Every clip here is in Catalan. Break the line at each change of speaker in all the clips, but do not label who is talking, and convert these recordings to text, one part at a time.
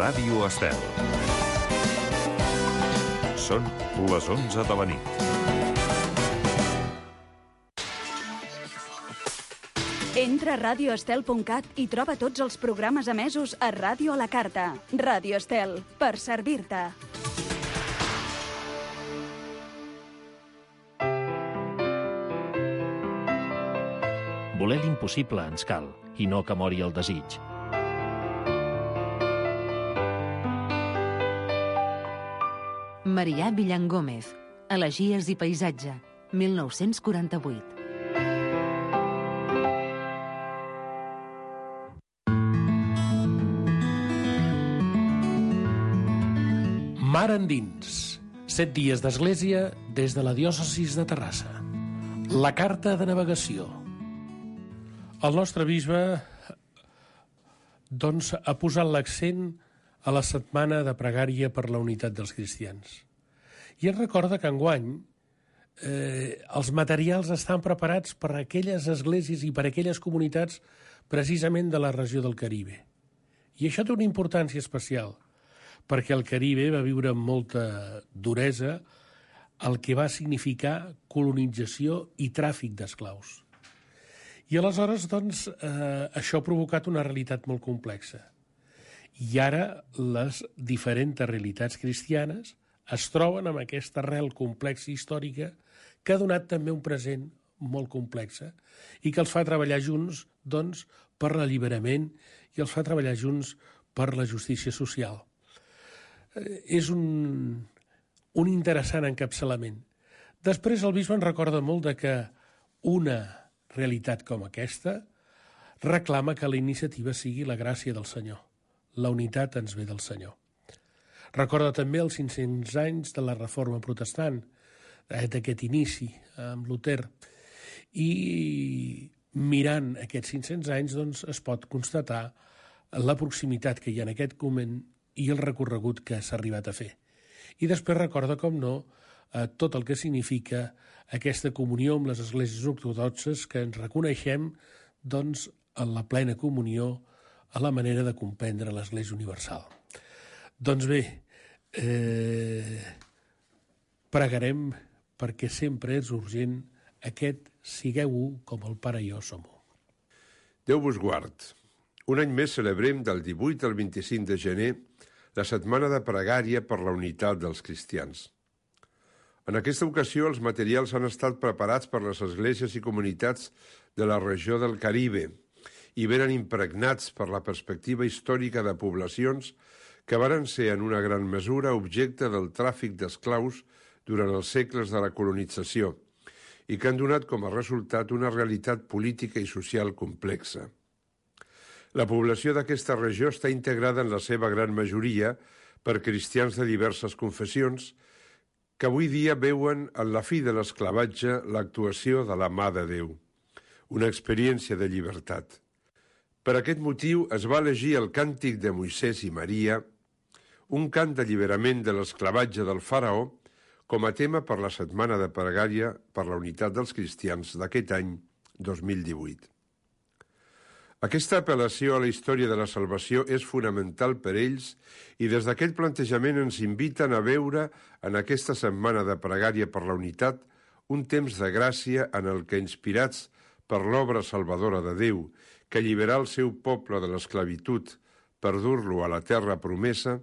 Ràdio Estel. Són les 11 de la nit.
Entra a radioestel.cat i troba tots els programes emesos a Ràdio a la Carta. Ràdio Estel, per servir-te.
Voler l'impossible ens cal, i no que mori el desig.
Marià Villangómez, Elegies i paisatge, 1948.
Mar endins. 7 dies d'església des de la diòcesis de Terrassa. La carta de navegació. El nostre bisbe, doncs, ha posat l'accent a la setmana de pregària per la unitat dels cristians. I ens recorda que enguany els materials estan preparats per a aquelles esglésies i per a aquelles comunitats precisament de la regió del Caribe. I això té una importància especial, perquè el Caribe va viure amb molta duresa el que va significar colonització i tràfic d'esclaus. I aleshores, doncs, això ha provocat una realitat molt complexa. I ara les diferents realitats cristianes es troben amb aquesta arrel complexa històrica que ha donat també un present molt complexa i que els fa treballar junts, doncs, per l'alliberament i els fa treballar junts per la justícia social. És un interessant encapçalament. Després el bisbe en recorda molt de que una realitat com aquesta reclama que la iniciativa sigui la gràcia del Senyor. La unitat ens ve del Senyor. Recorda també els 500 anys de la Reforma Protestant, d'aquest inici amb Luter. I mirant aquests 500 anys doncs, es pot constatar la proximitat que hi ha en aquest moment i el recorregut que s'ha arribat a fer. I després recorda, com no, tot el que significa aquesta comunió amb les esglésies ortodoxes que ens reconeixem doncs, en la plena comunió a la manera de comprendre l'Església Universal. Doncs bé, pregarem perquè sempre és urgent aquest sigueu-ho com el Pare i jo som-ho.
Déu vos guard. Un any més celebrem del 18 al 25 de gener la setmana de pregària per la unitat dels cristians. En aquesta ocasió, els materials han estat preparats per les esglésies i comunitats de la regió del Caribe i venen impregnats per la perspectiva històrica de poblacions que varen ser en una gran mesura objecte del tràfic d'esclaus durant els segles de la colonització i que han donat com a resultat una realitat política i social complexa. La població d'aquesta regió està integrada en la seva gran majoria per cristians de diverses confessions que avui dia veuen en la fi de l'esclavatge l'actuació de la mà de Déu, una experiència de llibertat. Per aquest motiu es va elegir el càntic de Moisès i Maria, un cant d'alliberament de l'esclavatge del faraó, com a tema per la setmana de pregària per la unitat dels cristians d'aquest any 2018. Aquesta apel·lació a la història de la salvació és fonamental per ells i des d'aquest plantejament ens inviten a veure en aquesta setmana de pregària per la unitat un temps de gràcia en el que, inspirats per l'obra salvadora de Déu, que alliberà el seu poble de l'esclavitud per dur-lo a la terra promesa,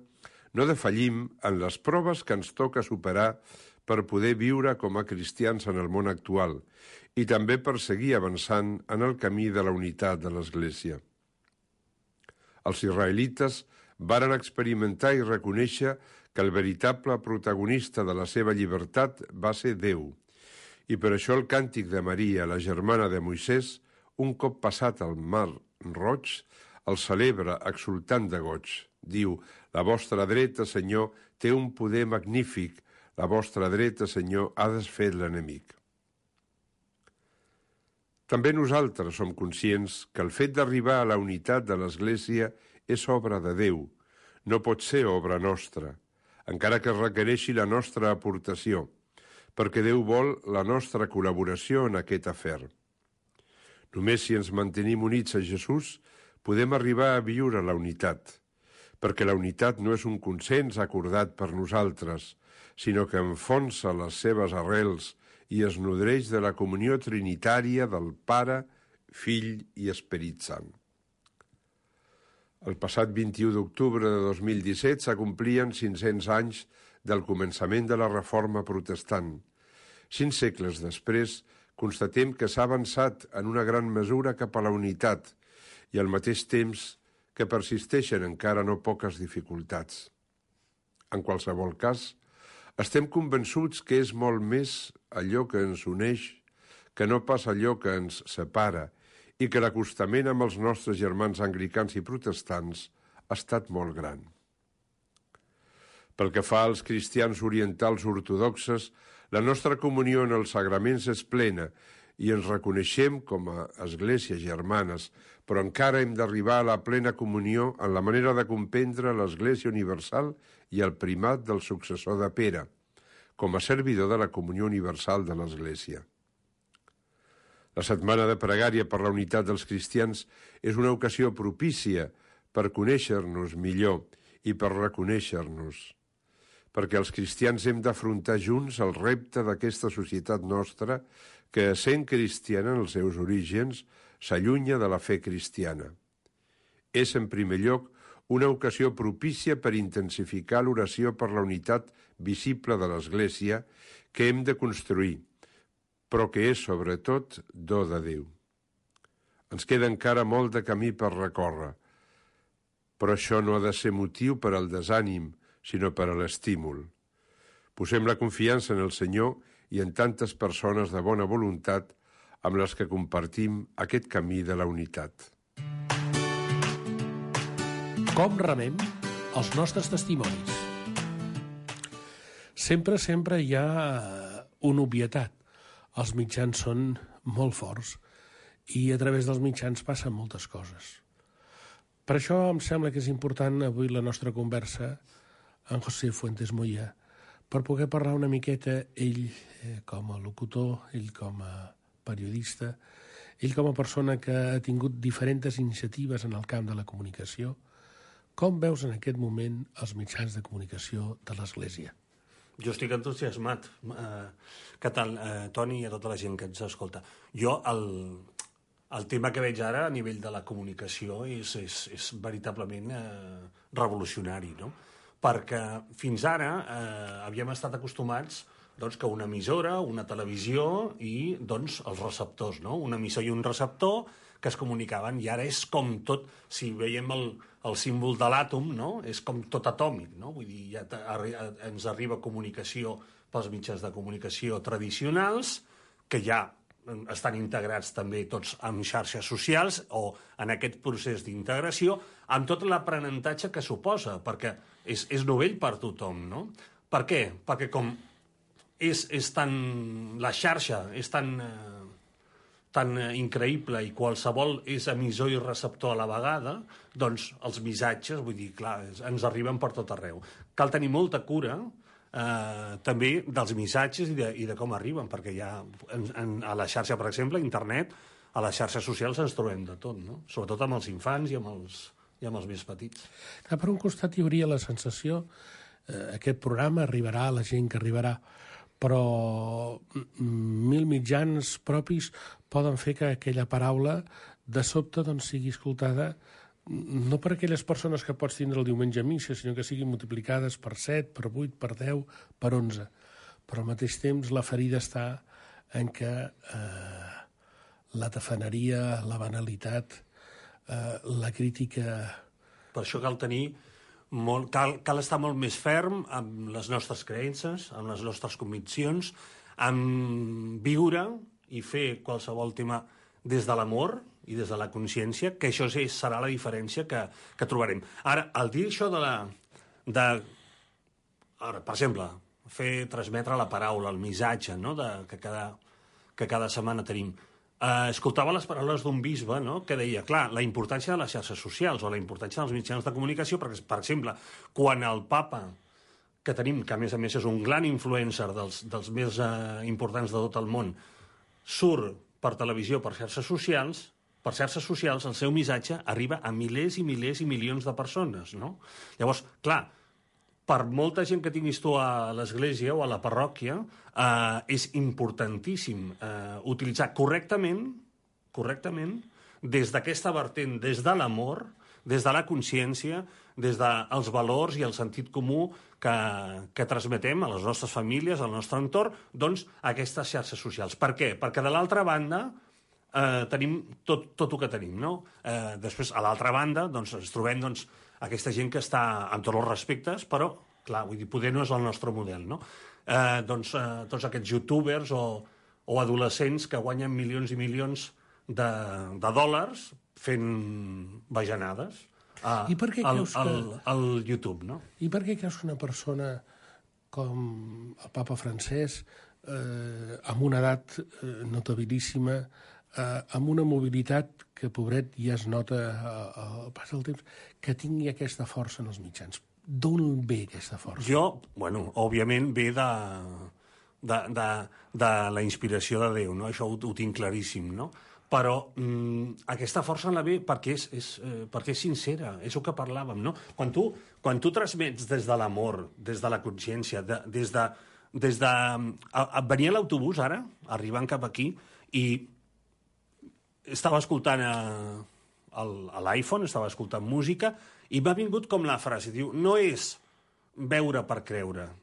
no defallim en les proves que ens toca superar per poder viure com a cristians en el món actual i també per seguir avançant en el camí de la unitat de l'Església. Els israelites varen experimentar i reconèixer que el veritable protagonista de la seva llibertat va ser Déu, i per això el càntic de Maria, la germana de Moisès, un cop passat el mar Roig, el celebra exultant de goig. Diu, la vostra dreta, Senyor, té un poder magnífic, la vostra dreta, Senyor, ha desfet l'enemic. També nosaltres som conscients que el fet d'arribar a la unitat de l'Església és obra de Déu, no pot ser obra nostra, encara que requereixi la nostra aportació, perquè Déu vol la nostra col·laboració en aquest afer. Només si ens mantenim units a Jesús podem arribar a viure la unitat, perquè la unitat no és un consens acordat per nosaltres, sinó que enfonsa les seves arrels i es nodreix de la comunió trinitària del Pare, Fill i Esperit Sant. El passat 21 d'octubre de 2017 s'acomplien 500 anys del començament de la Reforma Protestant. 5 segles després, constatem que s'ha avançat en una gran mesura cap a la unitat i al mateix temps que persisteixen encara no poques dificultats. En qualsevol cas, estem convençuts que és molt més allò que ens uneix que no pas allò que ens separa i que l'acostament amb els nostres germans anglicans i protestants ha estat molt gran. Pel que fa als cristians orientals ortodoxes, la nostra comunió en els sagraments és plena i ens reconeixem com a esglésies germanes, però encara hem d'arribar a la plena comunió en la manera de comprendre l'Església Universal i el primat del successor de Pere, com a servidor de la comunió universal de l'Església. La setmana de pregària per la unitat dels cristians és una ocasió propícia per conèixer-nos millor i per reconèixer-nos, perquè els cristians hem d'afrontar junts el repte d'aquesta societat nostra que, sent cristiana en els seus orígens, s'allunya de la fe cristiana. És, en primer lloc, una ocasió propícia per intensificar l'oració per la unitat visible de l'Església que hem de construir, però que és, sobretot, do de Déu. Ens queda encara molt de camí per recórrer, però això no ha de ser motiu per al desànim, sinó per a l'estímul. Posem la confiança en el Senyor i en tantes persones de bona voluntat amb les que compartim aquest camí de la unitat.
Com remem els nostres testimonis? Sempre hi ha una obvietat. Els mitjans són molt forts i a través dels mitjans passen moltes coses. Per això em sembla que és important avui la nostra conversa amb José Fuentes Moya, per poder parlar una miqueta, ell com a locutor, ell com a periodista, ell com a persona que ha tingut diferents iniciatives en el camp de la comunicació. Com veus en aquest moment els mitjans de comunicació de l'Església?
Jo estic entusiasmat. Què tal, Toni, i a tota la gent que ens escolta? Jo, el tema que veig ara a nivell de la comunicació és veritablement revolucionari, no? Perquè fins ara havíem estat acostumats que una emissora, una televisió i els receptors, no? Una emissor i un receptor que es comunicaven, i ara és com tot, si veiem el símbol de l'àtom, no? És com tot atòmic, no? Vull dir, ja ens arriba comunicació pels mitjans de comunicació tradicionals, que ja estan integrats també tots en xarxes socials o en aquest procés d'integració, amb tot l'aprenentatge que suposa, perquè és novell per tothom, no? Per què? Perquè com la xarxa és tan increïble i qualsevol és emissor i receptor a la vegada, doncs els missatges, vull dir, clar, ens arriben per tot arreu. Cal tenir molta cura també dels missatges i de com arriben, perquè ja a la xarxa, per exemple, a internet, a les xarxes socials ens trobem de tot, no? Sobretot amb els infants i amb els més petits.
Per un costat hi hauria la sensació aquest programa arribarà a la gent que arribarà, però 1000 mitjans propis poden fer que aquella paraula de sobte sigui escoltada no per aquelles persones que pots tindre el diumenge a missa, sinó que siguin multiplicades per 7, per 8, per 10, per 11. Però al mateix temps la ferida està en que la tafaneria, la banalitat, la crítica...
Per això cal tenir cal estar molt més ferm amb les nostres creences, amb les nostres conviccions, amb viure i fer qualsevol tema des de l'amor i des de la consciència, que això serà la diferència que trobarem. Ara, al dir això ara, per exemple, transmetre la paraula, el missatge, no?, que cada setmana tenim. Escoltava les paraules d'un bisbe, no?, que deia, clar, la importància de les xarxes socials o la importància dels mitjans de comunicació, perquè, per exemple, quan el papa que tenim, que a més és un gran influencer dels més importants de tot el món, surt per televisió, per xarxes socials, per xarxes socials, el seu missatge arriba a milers i milers i milions de persones, no? Llavors, clar, per molta gent que tinguis tu a l'església o a la parròquia, és importantíssim utilitzar correctament, des d'aquesta vertent, des de l'amor, des de la consciència, des dels valors i el sentit comú que transmetem a les nostres famílies, al nostre entorn, doncs, a aquestes xarxes socials. Per què? Perquè de l'altra banda tenim tot el que tenim, no? Després, a l'altra banda, doncs, ens trobem aquesta gent que està amb tots els respectes, però, clar, vull dir, poder no és el nostre model, no? Tots aquests youtubers o adolescents que guanyen milions i milions de dòlars fent bajanades al YouTube, no?
I per què creus que una persona com el papa Francesc, amb una edat notabilíssima, amb una mobilitat que, pobret, ja es nota al pas del temps, que tingui aquesta força en els mitjans? D'on ve aquesta força?
Òbviament ve de la inspiració de Déu, no? Això ho tinc claríssim, no? Però aquesta força la ve perquè és sincera, és el que parlàvem, no? Quan tu transmets des de l'amor, des de la consciència, venia a l'autobús ara, arribant cap aquí, i estava escoltant a l'iPhone, estava escoltant música, i m'ha vingut com la frase, diu, no és veure per creure,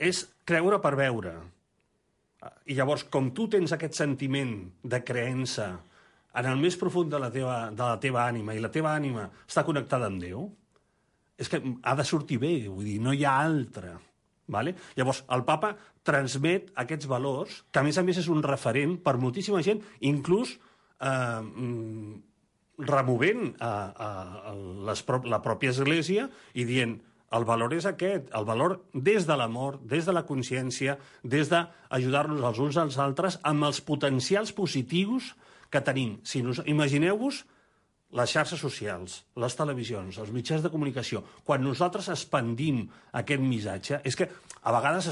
és creure per veure. I llavors, com tu tens aquest sentiment de creença en el més profund de la teva ànima, i la teva ànima està connectada amb Déu, és que ha de sortir bé, vull dir, no hi ha altra. Vale? Llavors, el papa transmet aquests valors, que a més és un referent per moltíssima gent, inclús removent la pròpia església i dient el valor és aquest, el valor des de l'amor, des de la consciència, des d'ajudar-nos els uns als altres amb els potencials positius que tenim. Imagineu-vos les xarxes socials, les televisions, els mitjans de comunicació. Quan nosaltres expandim aquest missatge, és que a vegades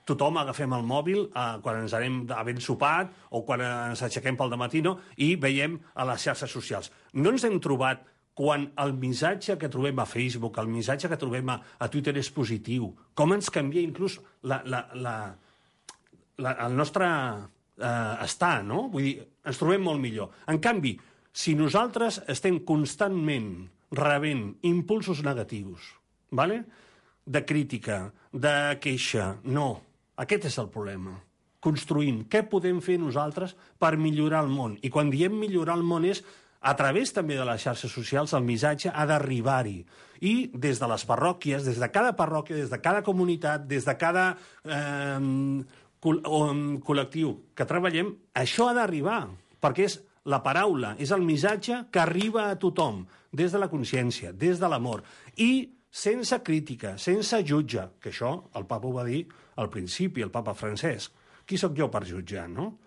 tothom agafem el mòbil quan ens anem havent sopat o quan ens aixequem pel dematí, no? I veiem a les xarxes socials. No ens hem trobat quan el missatge que trobem a Facebook, el missatge que trobem a Twitter és positiu, com ens canvia inclús el nostre estar, no? Vull dir, ens trobem molt millor. En canvi, si nosaltres estem constantment rebent impulsos negatius, ¿vale? De crítica, de queixa, no. Aquest és el problema. Construïm. Què podem fer nosaltres per millorar el món? I quan diem millorar el món és a través també de les xarxes socials, el missatge ha d'arribar-hi. I des de les parròquies, des de cada parròquia, des de cada comunitat, des de cada col·lectiu que treballem, això ha d'arribar, perquè és la paraula, és el missatge que arriba a tothom, des de la consciència, des de l'amor, i sense crítica, sense jutge, que això el papa ho va dir al principi, el papa Francesc. Qui sóc jo per jutjar, no?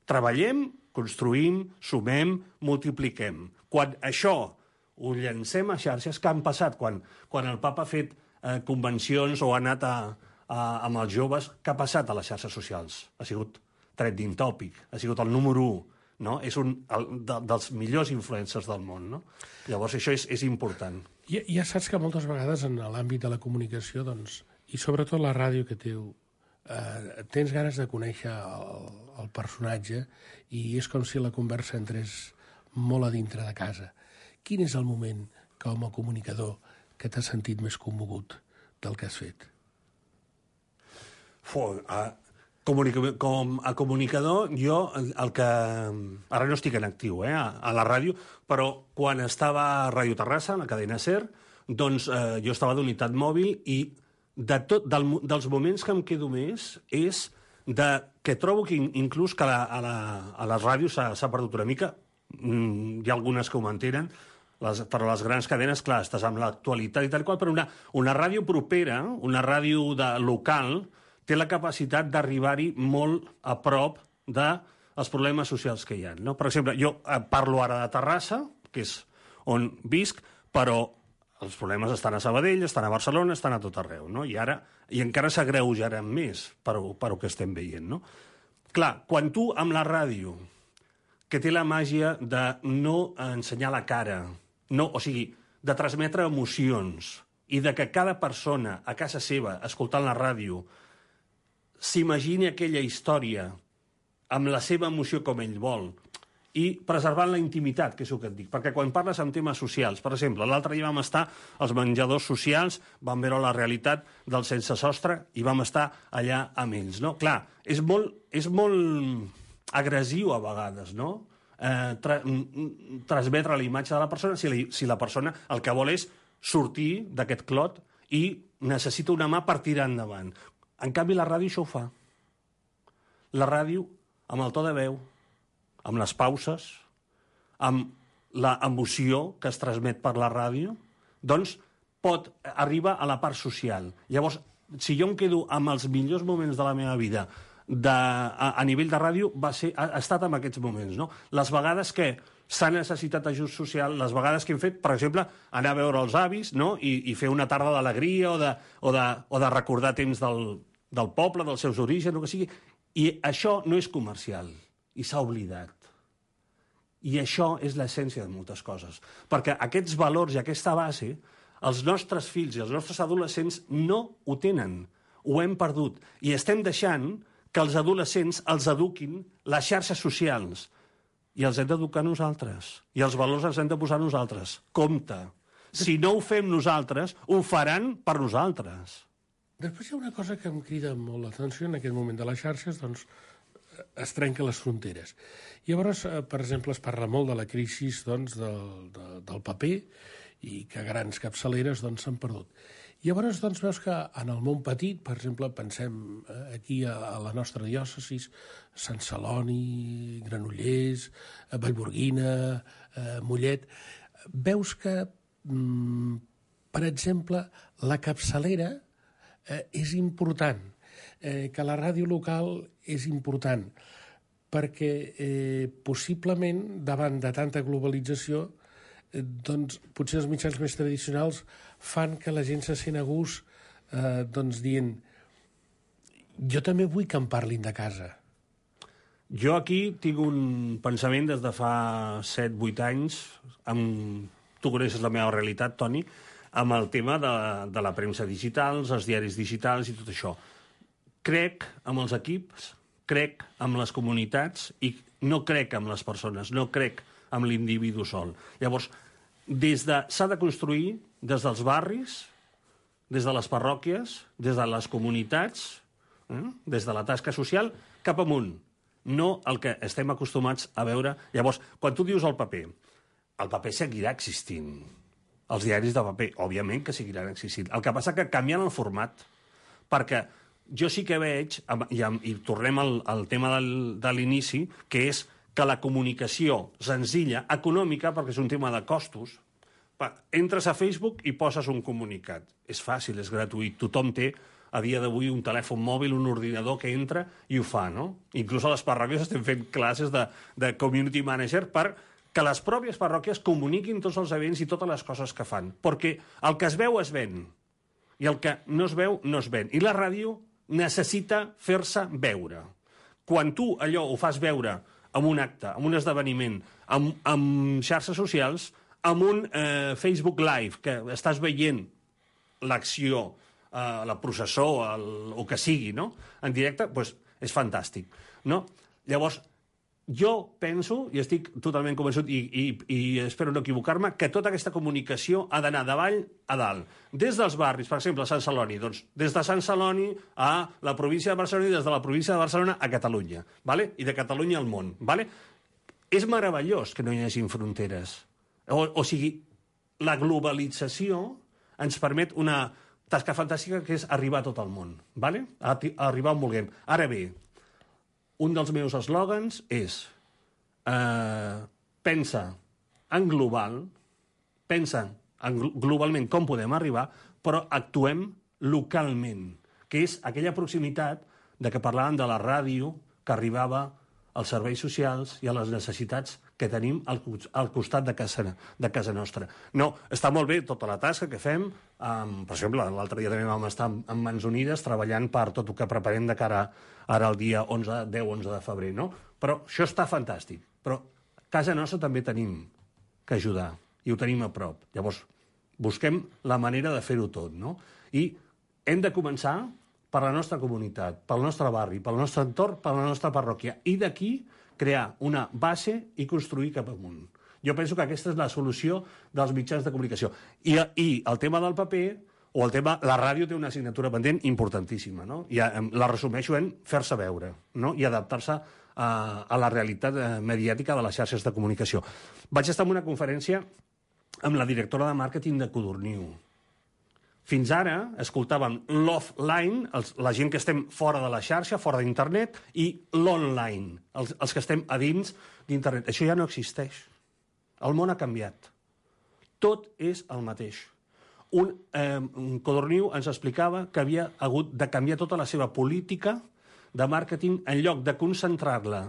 Treballem, construïm, sumem, multipliquem. Quan això ho llancem a xarxes, que han passat quan el papa ha fet convencions o ha anat amb els joves, què ha passat a les xarxes socials? Ha sigut trending topic, ha sigut el número 1, no? És un dels millors influencers del món, no? Llavors això és important.
Ja saps que moltes vegades en l'àmbit de la comunicació, doncs, i sobretot la ràdio que tens ganes de conèixer el personatge i és com si la conversa entrés molt a dintre de casa. Quin és el moment, com a comunicador, que t'has sentit més commogut del que has fet?
Com a comunicador, jo el que... Ara no estic en actiu, a la ràdio, però quan estava a Ràdio Terrassa, a la cadena SER, doncs jo estava d'unitat mòbil i dels moments que em quedo més és que trobo que inclús que a les ràdios s'ha perdut una mica, hi ha algunes que ho mantenen, però les grans cadenes, clar, estàs amb l'actualitat i tal qual, però una ràdio propera, una ràdio local, té la capacitat d'arribar-hi molt a prop dels problemes socials que hi ha, no? Per exemple, jo parlo ara de Terrassa, que és on visc, però els problemes estan a Sabadell, estan a Barcelona, estan a tot arreu, no? I encara s'agreujaran més per el que estem veient, no? Clar, quan tu amb la ràdio que té la màgia de no ensenyar la cara, o sigui, de transmetre emocions i de que cada persona a casa seva, escoltant la ràdio, s'imagini aquella història amb la seva emoció com ell vol i preservant la intimitat, que és el que et dic. Perquè quan parles amb temes socials, per exemple, l'altre dia vam estar als menjadors socials, vam veure la realitat del sense sostre i vam estar allà amb ells, no? Clar, és molt agressiu a vegades, no? Transmetre la imatge de la persona si la persona el que vol és sortir d'aquest clot i necessita una mà per tirar endavant. En canvi, la ràdio això ho fa. La ràdio, amb el to de veu, amb les pauses, amb l'emoció que es transmet per la ràdio, doncs pot arribar a la part social. Llavors, si jo em quedo amb els millors moments de la meva vida a nivell de ràdio, ha estat en aquests moments, no? Les vegades que s'ha necessitat ajust social, les vegades que hem fet, per exemple, anar a veure els avis, no? I fer una tarda d'alegria o de recordar temps del poble, dels seus orígens, el que sigui. I això no és comercial, i s'ha oblidat. I això és l'essència de moltes coses. Perquè aquests valors i aquesta base, els nostres fills i els nostres adolescents no ho tenen, ho hem perdut. I estem deixant que els adolescents els eduquin les xarxes socials. I els hem d'educar nosaltres. I els valors els hem de posar nosaltres. Compte. Si no ho fem nosaltres, ho faran per nosaltres.
Després hi ha una cosa que em crida molt l'atenció en aquest moment de les xarxes, doncs es trenquen les fronteres. Llavors, per exemple, es parla molt de la crisi doncs, del paper i que grans capçaleres doncs, s'han perdut. Llavors, doncs, veus que en el món petit, per exemple, pensem aquí a la nostra diòcesi, Sant Celoni, Granollers, Vallgorguina, Mollet, veus que, per exemple, la capçalera és important, que la ràdio local és important, perquè possiblement, davant de tanta globalització, doncs potser els mitjans més tradicionals fan que la gent se sent a gust doncs dient jo també vull que em parlin de casa.
Jo aquí tinc un pensament des de fa 7-8 anys, tu coneixes la meva realitat, Toni, amb el tema de la premsa digital, els diaris digitals i tot això. Crec amb els equips, crec amb les comunitats i no crec amb les persones, no crec amb l'individu sol. Llavors, s'ha de construir des dels barris, des de les parròquies, des de les comunitats, des de la tasca social, cap amunt. No el que estem acostumats a veure. Llavors, quan tu dius el paper seguirà existint. Els diaris de paper, òbviament que seguiran existint. El que passa que canvien el format, perquè jo sí que veig, i tornem al tema de l'inici, que és que la comunicació senzilla, econòmica, perquè és un tema de costos, entres a Facebook i poses un comunicat. És fàcil, és gratuït. Tothom té, a dia d'avui, un telèfon mòbil, un ordinador que entra i ho fa, no? Inclús a les parròquies estem fent classes de community manager per que les pròpies parròquies comuniquin tots els events i totes les coses que fan. Perquè el que es veu es ven, i el que no es veu no es ven. I la ràdio necessita fer-se veure. Quan tu allò ho fas veure amb un acte, amb un esdeveniment, amb xarxes socials, amb un Facebook Live, que estàs veient l'acció, la processó, o que sigui, no? En directe, doncs és fantàstic, no? Llavors, jo penso, i estic totalment convençut, i espero no equivocar-me, que tota aquesta comunicació ha d'anar d'avall a dalt. Des dels barris, per exemple, a Sant Celoni, doncs des de Sant Celoni a la província de Barcelona i des de la província de Barcelona a Catalunya, ¿vale? I de Catalunya al món. ¿Vale? És meravellós que no hi hagi fronteres. O sigui, la globalització ens permet una tasca fantàstica que és arribar a tot el món, ¿vale? Arribar on vulguem. Ara bé, un dels meus eslògans és pensa en global, pensa en globalment com podem arribar, però actuem localment, que és aquella proximitat de què parlàvem de la ràdio que arribava als serveis socials i a les necessitats que tenim al costat de casa nostra. No, està molt bé tota la tasca que fem, per exemple, l'altre dia també vam estar en Mans Unides treballant per tot el que preparem de cara ara al dia 10-11 de febrer, no? Però això està fantàstic. Però casa nostra també tenim que ajudar, i ho tenim a prop. Llavors, busquem la manera de fer-ho tot, no? I hem de començar per la nostra comunitat, pel nostre barri, pel nostre entorn, per la nostra parròquia, i d'aquí crear una base i construir cap amunt. Jo penso que aquesta és la solució dels mitjans de comunicació. I el tema del paper, o el tema... La ràdio té una assignatura pendent importantíssima, no? I la resumeixo en fer-se veure, no? I adaptar-se a la realitat mediàtica de les xarxes de comunicació. Vaig estar en una conferència amb la directora de màrqueting de Codorniu. Fins ara escoltàvem l'offline, la gent que estem fora de la xarxa, fora d'internet, i l'online, els que estem a dins d'internet. Això ja no existeix. El món ha canviat. Tot és el mateix. Codorniu ens explicava que havia hagut de canviar tota la seva política de màrqueting en lloc de concentrar-la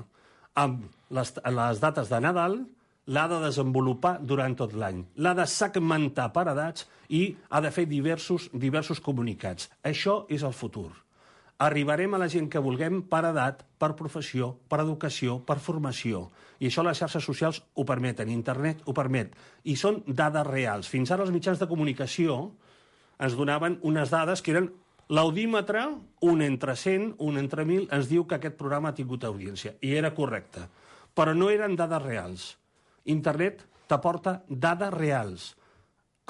amb les dates de Nadal, l'ha de desenvolupar durant tot l'any. L'ha de segmentar per edats i ha de fer diversos comunicats. Això és el futur. Arribarem a la gent que vulguem per edat, per professió, per educació, per formació. I això les xarxes socials ho permeten, internet ho permet. I són dades reals. Fins ara els mitjans de comunicació ens donaven unes dades que eren l'audímetre, un entre 100, un entre 1.000, ens diu que aquest programa ha tingut audiència. I era correcte. Però no eren dades reals. Internet t'aporta dades reals.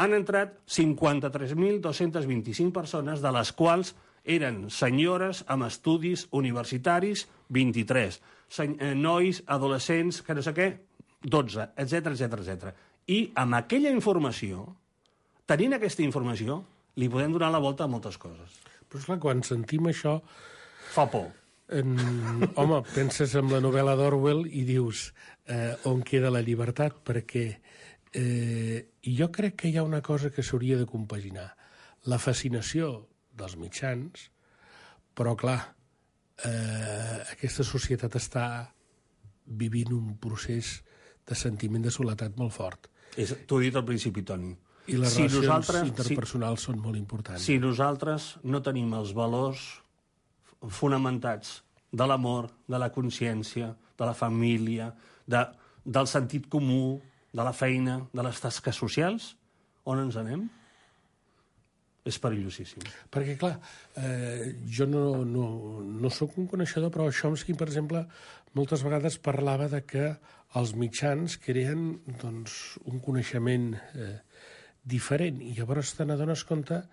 Han entrat 53.225 persones, de les quals eren senyores amb estudis universitaris, 23. Nois, adolescents, que no sé què, 12, etc. I amb aquella informació, tenint aquesta informació, li podem donar la volta a moltes coses.
Però esclar, quan sentim això...
Fa por.
Home, penses en la novel·la d'Orwell i dius on queda la llibertat, perquè jo crec que hi ha una cosa que s'hauria de compaginar. La fascinació dels mitjans, però clar, aquesta societat està vivint un procés de sentiment de soledat molt fort.
T'ho he dit al principi, Toni.
I les relacions interpersonals són molt importants.
Si nosaltres no tenim els valors fonamentats de l'amor, de la consciència, de la família, del sentit comú, de la feina, de les tasques socials, on ens anem? És perillosíssim.
Perquè, clar, jo no sóc un coneixedor, però Chomsky, per exemple, moltes vegades parlava de que els mitjans creen doncs, un coneixement diferent, i llavors te n'adones compte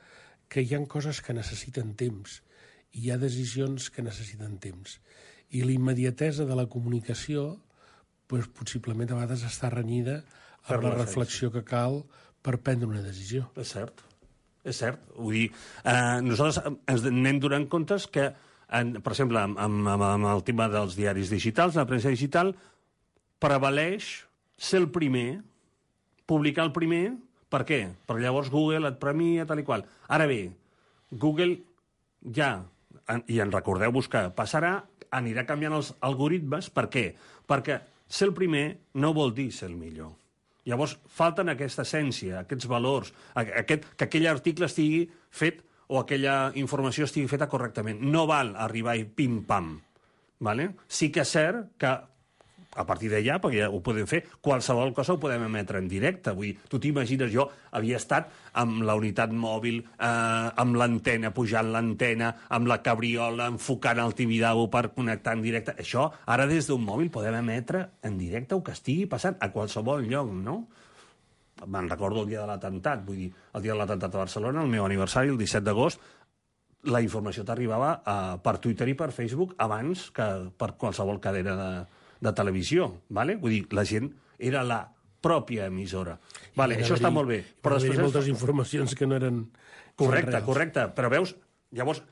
que hi ha coses que necessiten temps, i hi ha decisions que necessiten temps. I la immediatesa de la comunicació doncs, possiblement a vegades està renyida amb la reflexió que cal per prendre una decisió.
És cert. És cert. Vull dir, nosaltres ens anem donant comptes que, per exemple, amb el tema dels diaris digitals, la premsa digital, prevaleix ser el primer, publicar el primer. Per què? Perquè llavors Google et premia, tal i qual. Ara bé, Google ja, i en recordeu-vos que passarà, anirà canviant els algoritmes. Per què? Perquè ser el primer no vol dir ser el millor. Llavors, falten aquesta essència, aquests valors, que aquell article estigui fet o aquella informació estigui feta correctament. No val arribar i pim-pam. Vale? Sí que és cert que a partir d'allà, perquè ja ho podem fer, qualsevol cosa ho podem emetre en directe. Vull dir, tu t'imagines, jo havia estat amb la unitat mòbil, amb l'antena, pujant l'antena, amb la cabriola, enfocant el Tibidabo per connectar en directe. Això, ara des d'un mòbil podem emetre en directe el que estigui passant a qualsevol lloc, no? Me'n recordo el dia de l'atemptat, vull dir, el dia de l'atemptat a Barcelona, el meu aniversari, el 17 d'agost, la informació t'arribava per Twitter i per Facebook abans que per qualsevol cadena de televisió, ¿vale? Vull dir, la gent era la pròpia emissora. Vale, això està molt bé.
Però després hi ha moltes informacions que no eren reals.
Correcte. Però veus, llavors,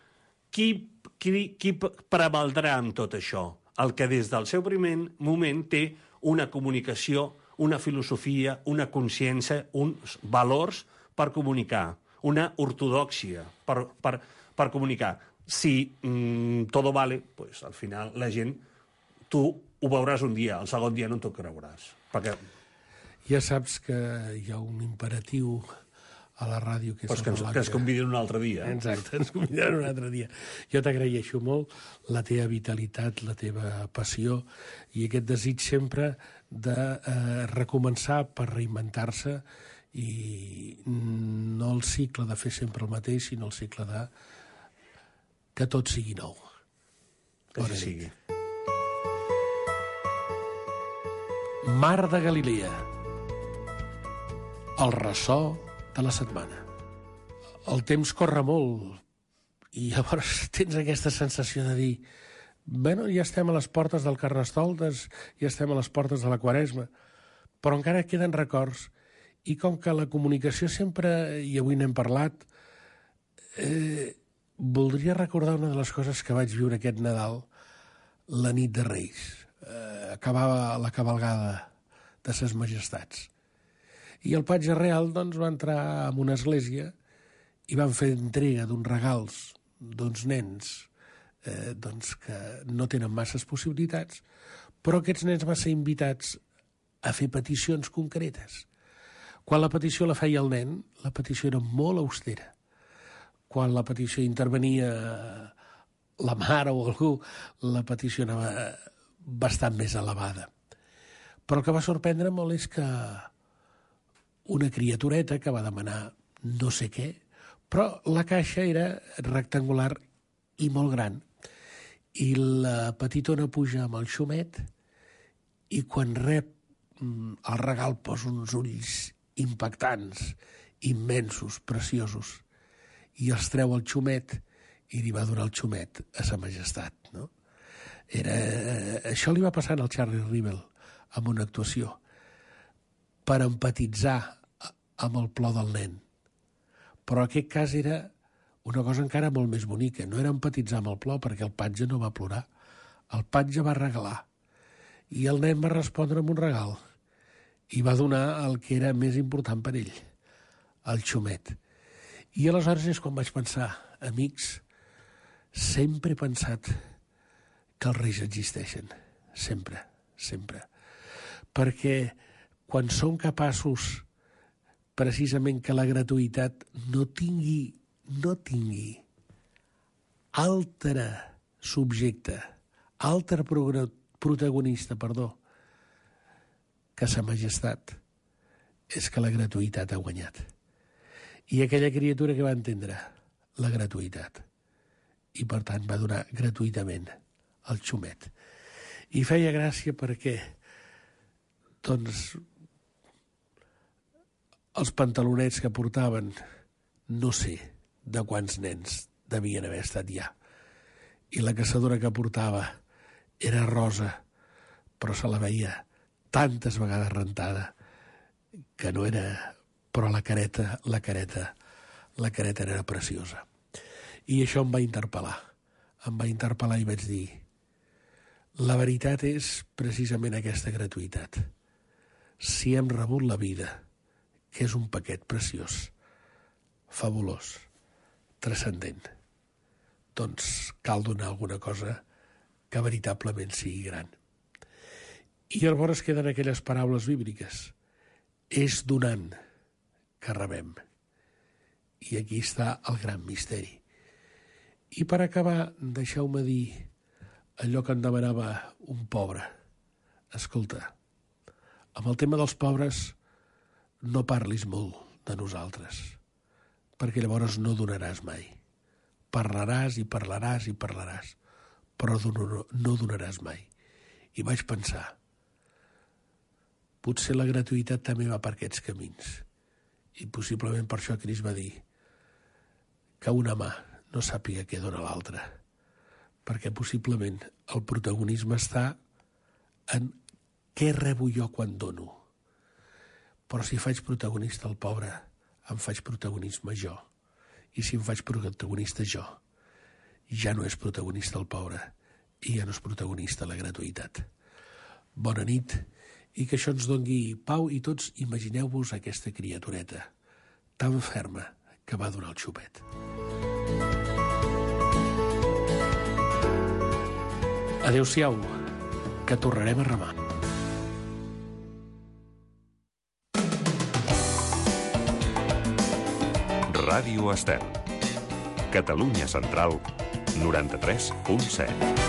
qui prevaldrà amb tot això? El que des del seu primer moment té una comunicació, una filosofia, una consciència, uns valors per comunicar, una ortodòxia per comunicar. Si todo vale, pues al final la gent, tu ho veuràs un dia, el segon dia no t'ho creuràs. Perquè...
Ja saps que hi ha un imperatiu a la ràdio, que és
Pues que ens convidin un altre dia.
Exacte, ens convidaran un altre dia. Jo t'agraeixo molt la teva vitalitat, la teva passió i aquest desig sempre de recomençar per reinventar-se i no el cicle de fer sempre el mateix, sinó el cicle de que tot sigui nou.
Que així sigui.
Mar de Galilea. El ressò de la setmana. El temps corre molt i llavors tens aquesta sensació de dir bueno, ja estem a les portes del Carnestoltes, ja estem a les portes de la Quaresma, però encara queden records i com que la comunicació sempre, i avui n'hem parlat, voldria recordar una de les coses que vaig viure aquest Nadal, la nit de Reis. Acabava la cabalgada de ses majestats. I el patge real doncs, va entrar en una església i van fer entrega d'uns regals d'uns nens doncs, que no tenen masses possibilitats, però aquests nens van ser invitats a fer peticions concretes. Quan la petició la feia el nen, la petició era molt austera. Quan la petició intervenia la mare o algú, la petició anava bastant més elevada. Però el que va sorprendre molt és que una criatureta que va demanar no sé què, però la caixa era rectangular i molt gran. I la petitona puja amb el xumet i quan rep el regal posa uns ulls impactants, immensos, preciosos, i els treu el xumet i li va donar el xumet a sa majestat. No? Això li va passar al Charlie Rivel amb una actuació per empatitzar amb el plor del nen. Però en aquest cas era una cosa encara molt més bonica. No era empatitzar amb el plor perquè el patge no va plorar. El patge va regalar. I el nen va respondre amb un regal. I va donar el que era més important per ell, el xumet. I aleshores és quan vaig pensar, amics, sempre he pensat que els reis existeixen. Sempre, sempre. Perquè quan som capaços precisament que la gratuïtat no tingui altre subjecte, altre protagonista, que sa majestat, és que la gratuïtat ha guanyat. I aquella criatura que va entendre la gratuïtat i, per tant, va donar gratuïtament el xumet. I feia gràcia perquè, doncs, els pantalonets que portaven, no sé de quants nens devien haver estat ja. I la caçadora que portava era rosa, però se la veia tantes vegades rentada que no era... Però la careta era preciosa. I això em va interpel·lar. Em va interpel·lar i vaig dir la veritat és precisament aquesta gratuïtat. Si hem rebut la vida, que és un paquet preciós, fabulós, transcendent, doncs cal donar alguna cosa que veritablement sigui gran. I llavors queden aquelles paraules bíbliques. És donant que rebem. I aquí està el gran misteri. I per acabar, deixeu-me dir allò que em demanava un pobre. Escolta, amb el tema dels pobres no parlis molt de nosaltres, perquè llavors no donaràs mai. Parlaràs i parlaràs i parlaràs, però no donaràs mai. I vaig pensar, potser la gratuïtat també va per aquests camins. I possiblement per això Crist va dir que una mà no sàpiga què dona l'altra, perquè possiblement el protagonisme està en què rebo jo quan dono. Però si faig protagonista el pobre, em faig protagonisme jo. I si em faig protagonista jo, ja no és protagonista el pobre i ja no és protagonista la gratuïtat. Bona nit. I que això ens doni pau i tots imagineu-vos aquesta criatureta tan ferma que va donar el xupet. Adéu-siau, que tornarem a remar.
Ràdio Estel. Catalunya Central, 93.7.